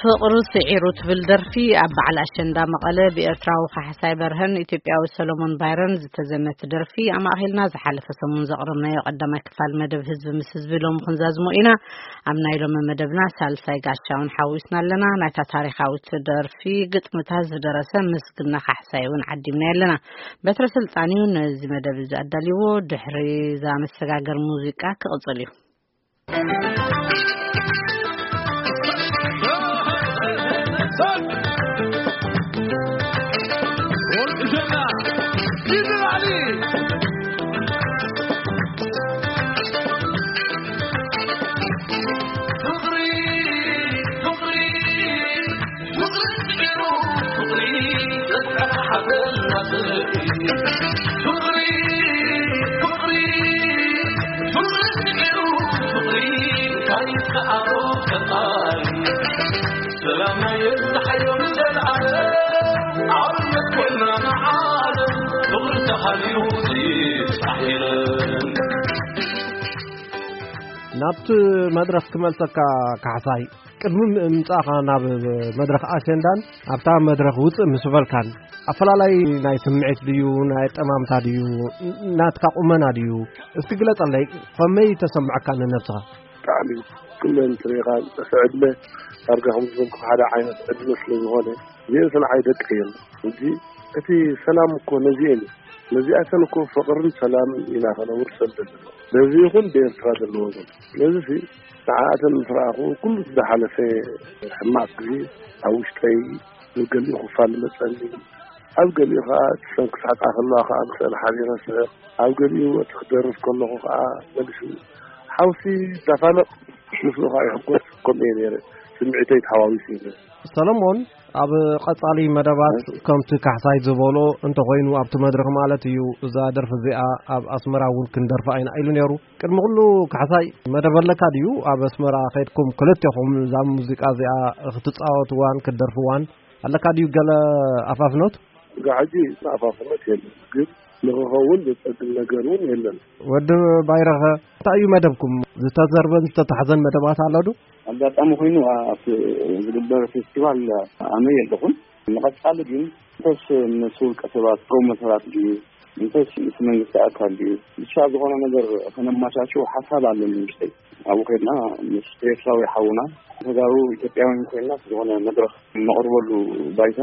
ፍቕሪ ስዒሩ ትብል ደርፊ ኣብ በዓል ኣሸንዳ መቐለ ብኤርትራዊ ካሕሳይ በርሀን ኢትዮጵያዊ ሰሎሞን ባይረን ዝተዘመተ ደርፊ ኣማእኺልና ዝሓለፈ ሰሙን ዘቕረብናዮ ቀዳማይ ክፋል መደብ ህዝቢ ምስ ህዝቢ ሎሚ ክንዛዝሞ ኢና። ኣብ ናይ ሎሚ መደብና ሳልሳይ ጋሻ እውን ሓዊስና ኣለና። ናይታ ታሪኻዊት ደርፊ ግጥምታት ዝደረሰ ምስግና ካሕሳይ እውን ዓዲምና ኣለና። በትረ ስልጣን እዩ ነዚ መደብ እዚ ኣዳልይዎ። ድሕሪ እዛ መሰጋገር ሙዚቃ ክቕጽል እዩ። ናብቲ መድረኽ ክመልሰካ ካሕሳይ፣ ቅድሚ ምምጻእኻ ናብ መድረኽ ኣሸንዳን ኣብታ መድረኽ ውጽእ ምስ በልካን ኣፈላላይ ናይ ስምዒት ድዩ፣ ናይ ጠማምታ ድዩ፣ ናትካ ቁመና ድዩ? እስኪ ግለጸለይ፣ ከመይ ተሰምዐካ ንነብስኻ? ብጣዕሚ ኩለን ትሪኢኻ ዝጠፍዐ ዕድመ ዳርጋ ከም ዝበልኩ ሓደ ዓይነት ዕድመ ስለ ዝኾነ እዚአን ስንዓይ ደቂ እየን። ሕጂ እቲ ሰላም እኮ ነዚአን እዩ። ነዚኣተን እኮ ፍቕርን ሰላም ኢና ከነውርሰን ዘለና። በዚ ይኹን ብኤርትራ ዘለዎ ዘሎ። ስለዚ ሲ ንዓኣተን ምስ ረኣኹ ኩሉ ዝሓለፈ ሕማቕ ግዜ ኣብ ውሽጠይ ኣብ ገሊኡ ክፋል መጸኒ፣ ኣብ ገሊኡ ኸዓ እተን ክስሕቃ ከለዋ ኸዓ ምስአን ሓቢረ ስሕቕ፣ ኣብ ገሊኡ እቲ ክደርፍ ከለኹ ኸዓ መሊሱ ሓውሲ ይዳፋነቕ፣ ምስኡ ኸዓ ይሕጎስ። ከምኡ እየ ነይረ። ስምዒተይ ተሓዋዊሱ እዩ ነይሩ። ሰለሞን፣ ኣብ ቀጻሊ መደባት ከምቲ ካሕሳይ ዝበሎ እንተኾይኑ ኣብቲ መድረኽ ማለት እዩ፣ እዛ ደርፊ እዚኣ ኣብ ኣስመራ እውን ክንደርፋ ኢና ኢሉ ነይሩ። ቅድሚ ኩሉ ካሕሳይ መደብ ኣለካ ድዩ? ኣብ ኣስመራ ከይድኩም ክልቴኹም እዛ ሙዚቃ እዚኣ ክትጻወትዋን ክትደርፍዋን ኣለካ ድዩ ገለ ኣፋፍኖት? እዛ ሕጂ ኣፋፍኖት የለን፣ ግን ንኽኸውን ዘጸግም ነገር እውን የለን። ወዲ ባይረኸ፣ እንታይ እዩ መደብኩም? ዝተዘርበን ዝተታሕዘን መደባት ኣሎ ዶ? ኣጋጣሚ ኮይኑ ኣብቲ ዝግበር ፌስቲቫል ኣነ የለኹን። ንቐጻሊ ግን እንተስ ምስ ውልቀ ሰባት ፕሮሞተራት ድዩ፣ እንተስ ምስ መንግስቲ ኣካል ድዩ፣ ብቻ ዝኾነ ነገር ከነማቻችው ሓሳብ ኣለኒ ውሽጠይ። ኣብኡ ከድና ምስ ኤርትራዊ ሓውና ተጋሩ ኢትዮጵያውያን ኮይንና ዝኾነ መድረኽ ነቕርበሉ ባይታ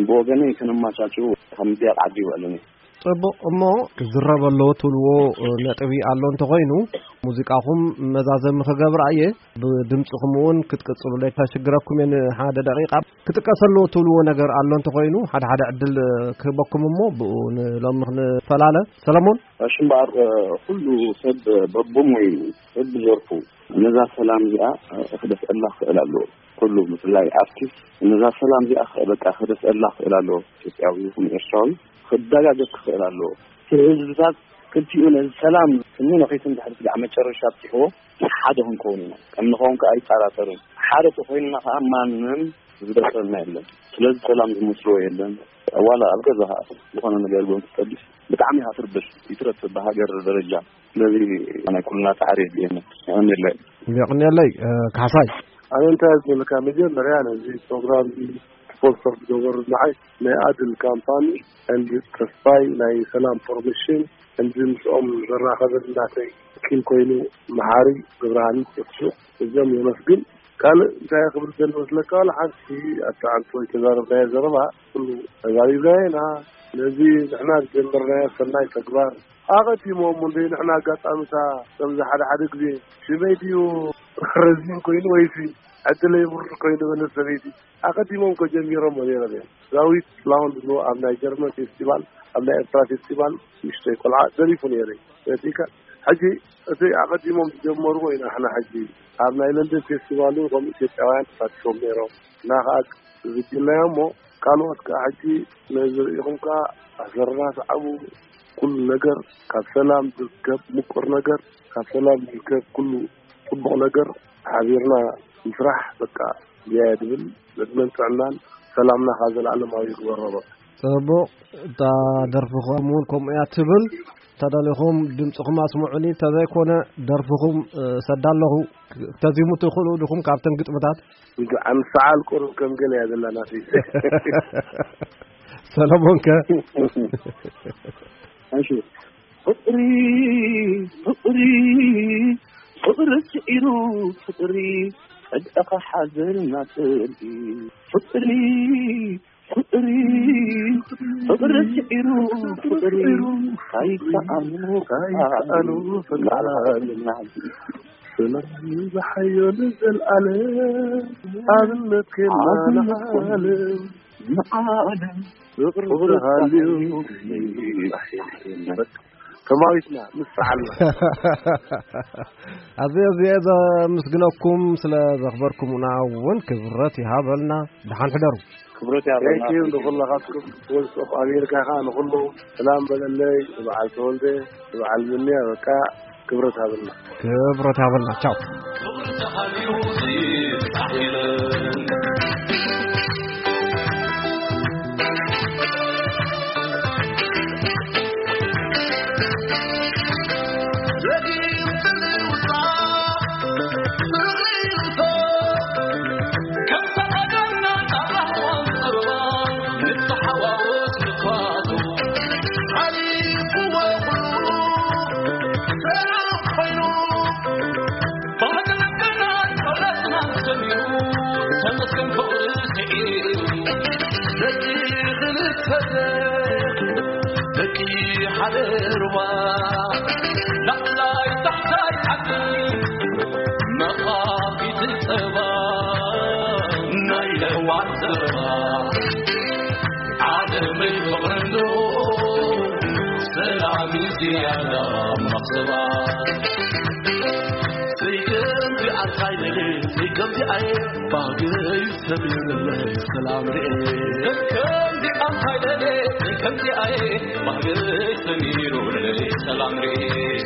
ብወገነይ ከነማቻችው ካብ ምጥያቕ ዓዲ ይውዕለኒ። ጽቡቕ፣ እሞ ክዝረብ ኣለዎ ትብልዎ ነጥቢ ኣሎ እንተኾይኑ፣ ሙዚቃኹም መዛዘሚ ክገብር እየ። ብድምጽኹም እውን ክትቅጽሉ ከሽግረኩም እየ። ንሓደ ደቂቃ ክጥቀስ ኣለዎ ትብልዎ ነገር ኣሎ እንተኾይኑ፣ ሓደ ሓደ ዕድል ክህበኩም እሞ ብኡ ንሎሚ ክንፈላለ። ሰለሞን? እሺ፣ እምበኣር፣ ኩሉ ሰብ በብሞይኡ፣ በብዘርፉ ነዛ ሰላም እዚኣ ክደፍእላ ክኽእል ኣለዎ። ኩሉ፣ ብፍላይ ኣርቲስት፣ ነዛ ሰላም እዚኣ በቃ ክደፍእላ ክኽእል ኣለዎ። ኢትዮጵያዊ ይኹን ኤርትራዊ ክደጋገፍ ክኽእል ኣለዎ። እቲ ህዝብታት ክልቲኡ ነዚ ሰላም ስኒ ነኺሱ እንድሕር ስጋዕ መጨረሻ ኣብፂሕዎ፣ ሓደ ክንከውን ኢና። ከም ንኸውን ከኣ ኣይጠራጠርን። ሓደ ተኾይንና ከኣ ማንም ዝደፍረና የለን። ስለዚ ሰላም ዝመስልዎ የለን። ዋላ ኣብ ገዛ ከኣ ዝኾነ ነገር እውን ትጠልፍ ብጣዕሚ ኢኻ ትርበሽ፣ ይትረፍ ብሃገር ደረጃ። ስለዚ ናይ ኩልና ጻዕሪ የድልየና። የቐንየለይ። የቐንየለይ፣ እ፣ ካሕሳይ። ኣነ እንታይ ዝበለካ፣ መጀመርያ ነዚ ፕሮግራም እዚ ስፖንሰር ዝገበሩ ንዓይ ናይ ኣድል ካምፓኒ፣ ኤንድ ተስፋይ ናይ ሰላም ፕሮሞሽን፣ ኤንድ ምስኦም ዘራኸበኒ ናተይ ኪም ኮይኑ፣ መሓሪ ገብረሃኒ ተስፉ፣ እዚኦም የመስግን። ካልእ እንታይ ክብል ደሊ መስለካ፣ ዋላ ሓንቲ ኣተዓንቶ ዝተዛረብናዮ ዘረባ ኩሉ ተዛሪብናዮ ኢና። ስለዚ ንሕና ዝጀመርናዮ ሰናይ ተግባር ኣቐዲሞም እውን ንሕና ኣጋጣሚታ ከምዚ ሓደ ሓደ ግዜ ሽመይ ድዩ ረዚን ኮይኑ ወይሲ ዕድለይ ውርድ ኮይኑ በለት ሰበይቲ ኣቐዲሞም እኮ ጀሚሮም ነይሮም እዮም። ዳዊት ጥላሁን ዝብልዎ ኣብ ናይ ጀርመን ፌስቲቫል፣ ኣብ ናይ ኤርትራ ፌስቲቫል ንእሽተይ ቆልዓ ደሪፉ ነይሩ እዩ። ፈቲካ ሕጂ እቲ ኣቐዲሞም ዝጀመርዎ ኢና ንሕና ሕጂ ኣብ ናይ ለንደን ፌስቲቫል እውን ከምኡ ኢትዮጵያውያን ተሳቲፎም ነይሮም። እና ከዓ ዝጅናዮ እሞ ካልኦት ከዓ ሕጂ ነዚ ርኢኹም ከዓ ኣሰረና ሰዓቡ። ኩሉ ነገር ካብ ሰላም ዝርከብ ምቁር ነገር ካብ ሰላም ዝርከብ ኩሉ ጽቡቕ ነገር ሓቢርና ምስራሕ በቃ እዚኣ እየ ድብል። ዕድመን ጥዕናን ሰላምና ከዓ ዘለኣለማዊ ይግበሮ በቃ። ጽቡቕ። እታ ደርፍኹም እውን ከምኡ እያ ትብል። ተደሊኹም ድምፅኹም ኣስምዑኒ፣ እንተዘይኮነ ደርፍኹም፣ እ፣ ሰዳ ኣለኹ። ክተዚሙ ትኽእሉ ዲኹም ካብተን ግጥምታት? ብጣዕሚ ሰዓል ቁሩብ ከም ገለ እያ ዘላ ናተይ። ሰለሞን ከ? እሺ። ፍቕሪ፣ ፍቕሪ፣ ፍቕሪ ስዒሩ፣ ፍቕሪ፣ ጸድኣኻ ሓዘን ናጽሪ። ፍቕሪ፣ ፍቕሪ፣ ፍቕሪ ስዒሩ፣ ፍቕሪ፣ ካይሰኣኑ፣ ካይሰኣኑ፣ ፍቕሪ። ሰላም ዝሓዮ ንዘልኣለም፣ ኣብነት ኬና ንዓለም። ንዓለም ፍቕሪ ተሃልዩ ተማዊትና ንሰዓልና። ኣዝየ ኣዝየ ዘምስግነኩም ስለ ዘኽበርኩምና እውን ክብረት ይሃበልና። ደሓን ሕደሩ። ክብረት ይሃበልና። Thank you ንኹላኻትኩም። Voice of America ኸዓ ንኹሉ ሰላም በለለይ። ንበዓል ተወልደ፣ ንበዓል ምንያ፣ በቃ ክብረት ሃበልና። ክብረት ሃበልና። ቻው። ደቂ ሓደ ሩባ ላዕላይ ታሕታይ ዓዲ መኻፊት ጸባ ናይ ለዋት ጸባ ዓለመይ ፍቕርንዶ ሰላም ዝያዳ መኽሰባ ዘይከምዚ ኣንታይ ደለ ዘይከምዚ ኣየ ባህገይ ሰሚርለይ ሰላም ርኤ ከምዚ ኣንታይ ደለ ከምዚ ኣየ ባህገይ ሰሚሩለይ ሰላም ርኤ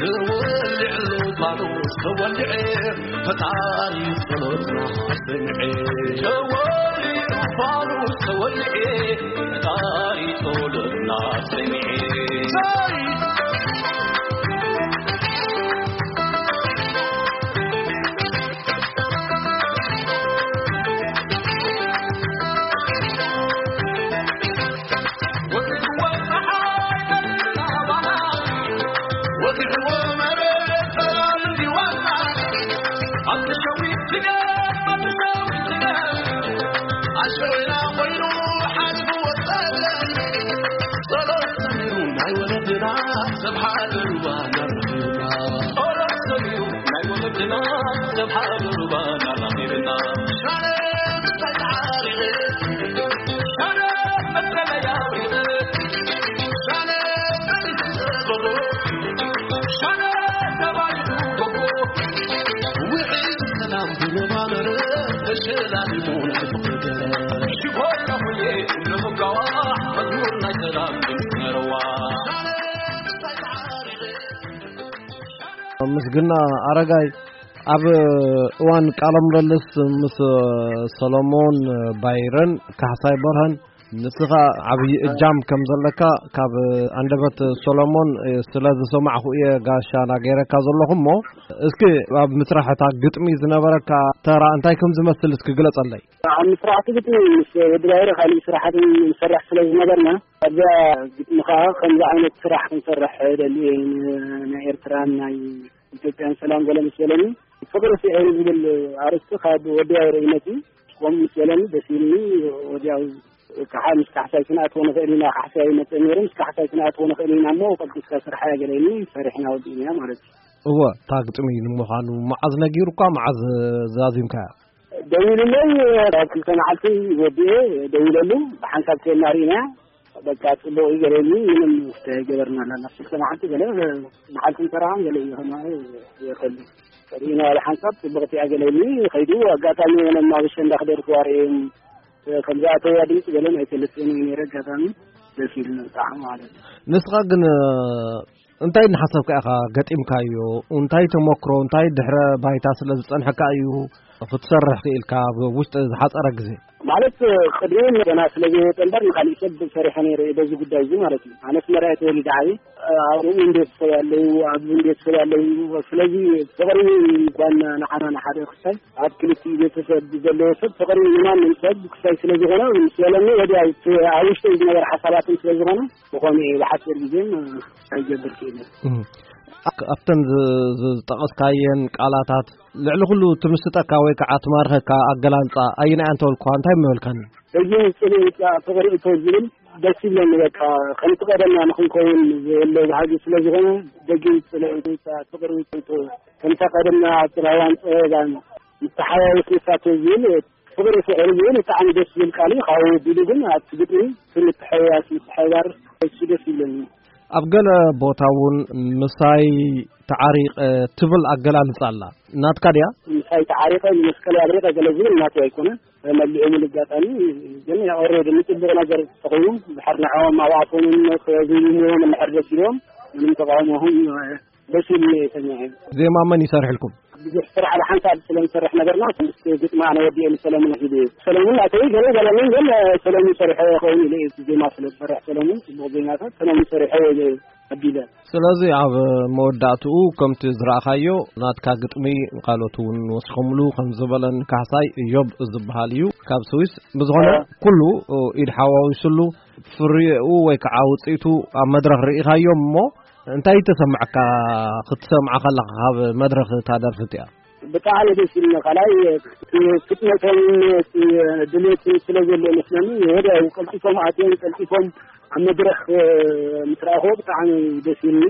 ተወልዕሉ ፋኑስ ተወልዐ ፈጣሪ ጸሎትና ሰምዐ ተወልዕሉ ፋኑስ ተወልዐ ፈጣሪ ጸሎትና ሰምዐ ምስግና ኣረጋይ ኣብ እዋን ቃለ ምልልስ ምስ ሰሎሞን ባይረን ካሕሳይ በርሀን ንስኻ ዓብዪ እጃም ከም ዘለካ ካብ ኣንደበት ሰሎሞን ስለ ዝሰማዕኹ እየ ጋሻ ናገይረካ ዘለኹ እሞ እስኪ ኣብ ምስራሕ እታ ግጥሚ ዝነበረካ ተራ እንታይ ከም ዝመስል እስኪ ግለጸለይ። ኣብ ምስራሕ እቲ ግጥሚ ምስ ወዲ ባይረ ካሊእ ስራሓትን ንሰርሕ ስለ ዝነበርና ኣብዛ ግጥሚ ከዓ ከምዚ ዓይነት ስራሕ ክንሰርሕ ደልየ ናይ ኤርትራን ናይ ኢትዮጵያን ሰላም ገለ ምስ በለኒ ፍቅሪ ስዒሩ ዝብል ኣርእስቲ ካብ ወዲ ኣይረኢነት እዩ። ከምኡ ምስ በለኒ ደስ ኢልኒ። ወዲያው ከዓ ምስ ካሕሳይ ክንኣትዎ ንኽእል ኢና፣ ካሕሳይ ይመፅእ ነይሩ፣ ምስ ካሕሳይ ክንኣትዎ ንኽእል ኢና እሞ ቀልጢፍካ ስርሓ ገለኒ ሰሪሕና ወዲእና ማለት እዩ። እወ፣ እታ ግጥሚ ንምዃኑ መዓዝ ነጊሩካ፣ መዓዝ ዛዚምካያ? ደዊሉለይ ኣብ ክልተ መዓልቲ ወዲኤ ደዊለሉ፣ ብሓንሳብ ከየና ርኢና በቃ ጽቡቕ እዩ ገለኒ። ምንም ውስተ ገበርና ኣለና። ክልተ መዓልቲ ገለ መዓልቲ ንሰራሕን ገለ ይኾና ይኸሉ ሪኢና ሓደ ሓንሳብ ጽቡቕቲ እያ ገለኒ። ከይዱ ኣጋጣሚ የሆነ ኣብ ሸንዳ ክደርፍዋ ርእዮም ከምዚ ኣተዋ ድምፂ ገለን ኣይፈልጥን እዩ ነይረ። ኣጋጣሚ ደስ ኢሉ ብጣዕሚ ማለት እዩ። ንስኻ ግን እንታይ እናሓሰብካ ኢኻ ገጢምካዮ? እንታይ ተመክሮ፣ እንታይ ድሕረ ባይታ ስለ ዝጸንሐካ እዩ ክትሰርሕ ክኢልካ ኣብ ውሽጢ ዝሓጸረ ግዜ? ማለት ቅድም ገና ስለ ዘይወጠ እምበር ንካሊእ ሰብ ሰሪሐ ነይረ እየ በዚ ጉዳይ እዚ ማለት እዩ። ኣነስ መርኣይ ተወሊደ ዓብየ ኣብኡ እንዴት ሰብ ኣለዉ፣ ኣብዚ እንዴት ሰብ ኣለዉ። ስለዚ ተቐሪቡ ጓና ንዓና ንሓደ ክሳይ ኣብ ክልቲኡ ቤተሰብ ዘለዎ ሰብ ተቐሪቡ ንማንም ሰብ ክሳይ ስለ ዝኾነ ምስ በለኒ ወዲያ ኣብ ውሽጠይ ዝነበረ ሓሳባትን ስለ ዝኾነ ብኸምኡ እየ ብሓፂር ግዜን ኣይገብር ክኢለ። ኣብተን ዝጠቐስካየን ቃላታት ልዕሊ ኩሉ ትምስጠካ ወይ ከዓ ትማርኸካ ኣገላልፃ ኣይናያ እንተወልኳ እንታይ ምበልካኒ? ደጊ ጽልኢ ውጻእ ፍቕሪ እቶ ዝብል ደስ ይብለኒ። በቃ ከምቲ ቀደምና ንኽንከውን ዘሎ ባህጊ ስለ ዝኾነ ደጊ ጽልኢ ውጻእ ፍቕሪ እቶ ከምታ ቀደምና ጽላዋን ጸበባን ምተሓዋወስ ንሳቶ ዝብል ፍቕሪ ፍቕሪ ዝብል ብጣዕሚ ደስ ዝብል ቃል እዩ። ካብኡ ቢሉ ግን ኣብቲ ግጥሚ እቲ ምትሕውዋስ ምትሕባር እሱ ደስ ይብለኒ። ኣብ ገለ ቦታ እውን ምሳይ ተዓሪቐ ትብል ኣገላልጻ ኣላ። ናትካ ድያ? ምሳይ ተዓሪቐ ንመስቀል ኣብሪቐ ገለ ዝብል ናቱ ኣይኮነን። መሊኡ ምል ኣጋጣሚ ግን ኦሬዲ ንጽቡቕ ነገር ተኾይኑ ድሕር ንዕኦም ኣብ ኣፎምን ክብይምዎም እንድሕር ደስ ኢልዎም ምንም ተቃውሞኹም ደስ ኢሉ እየ ሰሚዐ። ዜማ መን ይሰርሕልኩም? ብዙሕ ስራሕ ኣብ ሓንሳብ ስለ ንሰርሕ ነበርና ምስ ግጥሚ ኣነ ወዲኤ ንሰለሙን ሂብ እየ። ሰለሙን ኣተይ ገለ ገለኒ ግን ሰለሙን ሰሪሖ ይኸውን ኢለ እየ። ዜማ ስለ ዝሰርሕ ሰለሙን ጽቡቕ ዜማታት ሰለሙን ሰሪሖ ኢለ ኣቢለ። ስለዚ ኣብ መወዳእትኡ ከምቲ ዝረኣኻዮ ናትካ ግጥሚ ካልኦት እውን ወሲኾምሉ ከም ዝበለን ካሕሳይ እዮብ ዝበሃል እዩ ካብ ስዊስ። ብዝኾነ ኩሉ ኢድ ሓዋዊሱሉ ፍሪኡ ወይ ከዓ ውፅኢቱ ኣብ መድረኽ ርኢኻዮ እሞ እንታይ ተሰማዕካ ክትሰምዓ ከለኻ ካብ መድረኽ እታ ደርፊ እቲኣ? ብጣዕሚ ደስ ኢሉኒ። ካልኣይ ፍጥነቶም ድሌት ስለ ዘሎ መስለኒ ወዲያው ቀልጢፎም ኣትዮም ቀልጢፎም ኣብ መድረኽ ምስ ረኣኽዎ ብጣዕሚ ደስ ኢሉኒ።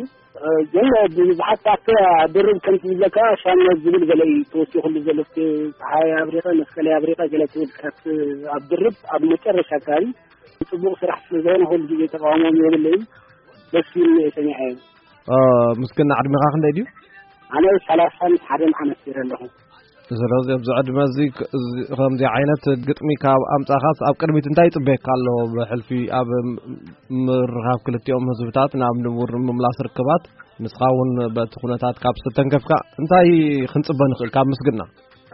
ግን ብዙሓት ኣብቲ ድርብ ከምቲ ዝብለካ ሻምናት ዝብል ገለ እዩ ተወሲኹሉ ዘሎ። እስኪ ፀሓይ ኣብሪቐ መስቀለይ ኣብሪቐ ገለ ትብል ካብቲ ኣብ ድርብ ኣብ መጨረሻ ኣካባቢ ጽቡቕ ስራሕ ስለ ዝኾነ ኩሉ ግዜ ተቃውሞም የብለይን። ደስ ኢሉኒ እየ ሰሚዐዮ። ምስግና ዕድሜኻ ክንደይ ድዩ? ኣነ ሰላሳን ሓደን ዓመት ገይረ ኣለኹ። ስለዚ ኣብዚ ዕድመ እዚ ከምዚ ዓይነት ግጥሚ ካብ ኣምጻኻስ ኣብ ቅድሚት እንታይ ይጽበየካ ኣሎ? ብሕልፊ ኣብ ምርኻብ ክልቲኦም ህዝብታት ናብ ንቡር ምምላስ ርክባት ንስኻ እውን በቲ ኩነታት ካብ ዝተተንከፍካ እንታይ ክንጽበ ንኽእል ካብ ምስግና?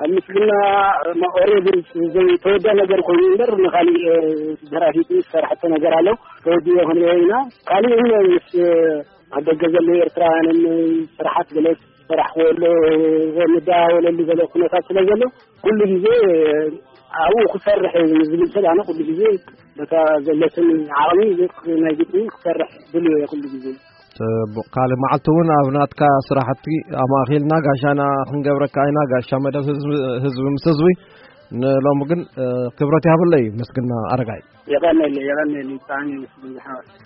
ኣብ ምስግና ኦሬዲ ዘይተወድአ ነገር ኮይኑ እምበር ንኻሊእ ደራሲት ዝሰርሐቶ ነገር ኣሎ። ተወዲኦ ክንሪኦ ኢና። ካሊእ ምስ ኣብ ደገ ዘለዉ ኤርትራውያንን ስራሓት ገለ ዝሰራሕዎ ኣሎ ንደዋወለሉ ዘሎ ኩነታት ስለ ዘሎ ኩሉ ግዜ ኣብኡ ክሰርሕ እዩ ዝብል ሰብ ኣነ ኩሉ ግዜ በታ ዘለትን ዓቕሚ ናይ ግጥሚ ክሰርሕ ድልዮ እየ ኩሉ ግዜ። ጽቡቕ ካልእ መዓልቲ እውን ኣብ ናትካ ስራሕቲ ኣማእኺልና ጋሻና ክንገብረካ ኢና። ጋሻ መደብ ህዝቢ ምስ ህዝቢ ንሎሚ ግን ክብረት ይሃበለይ ምስግና ኣረጋይ። የቐነለይ የቐነለይ ብጣዕሚ ምስግና።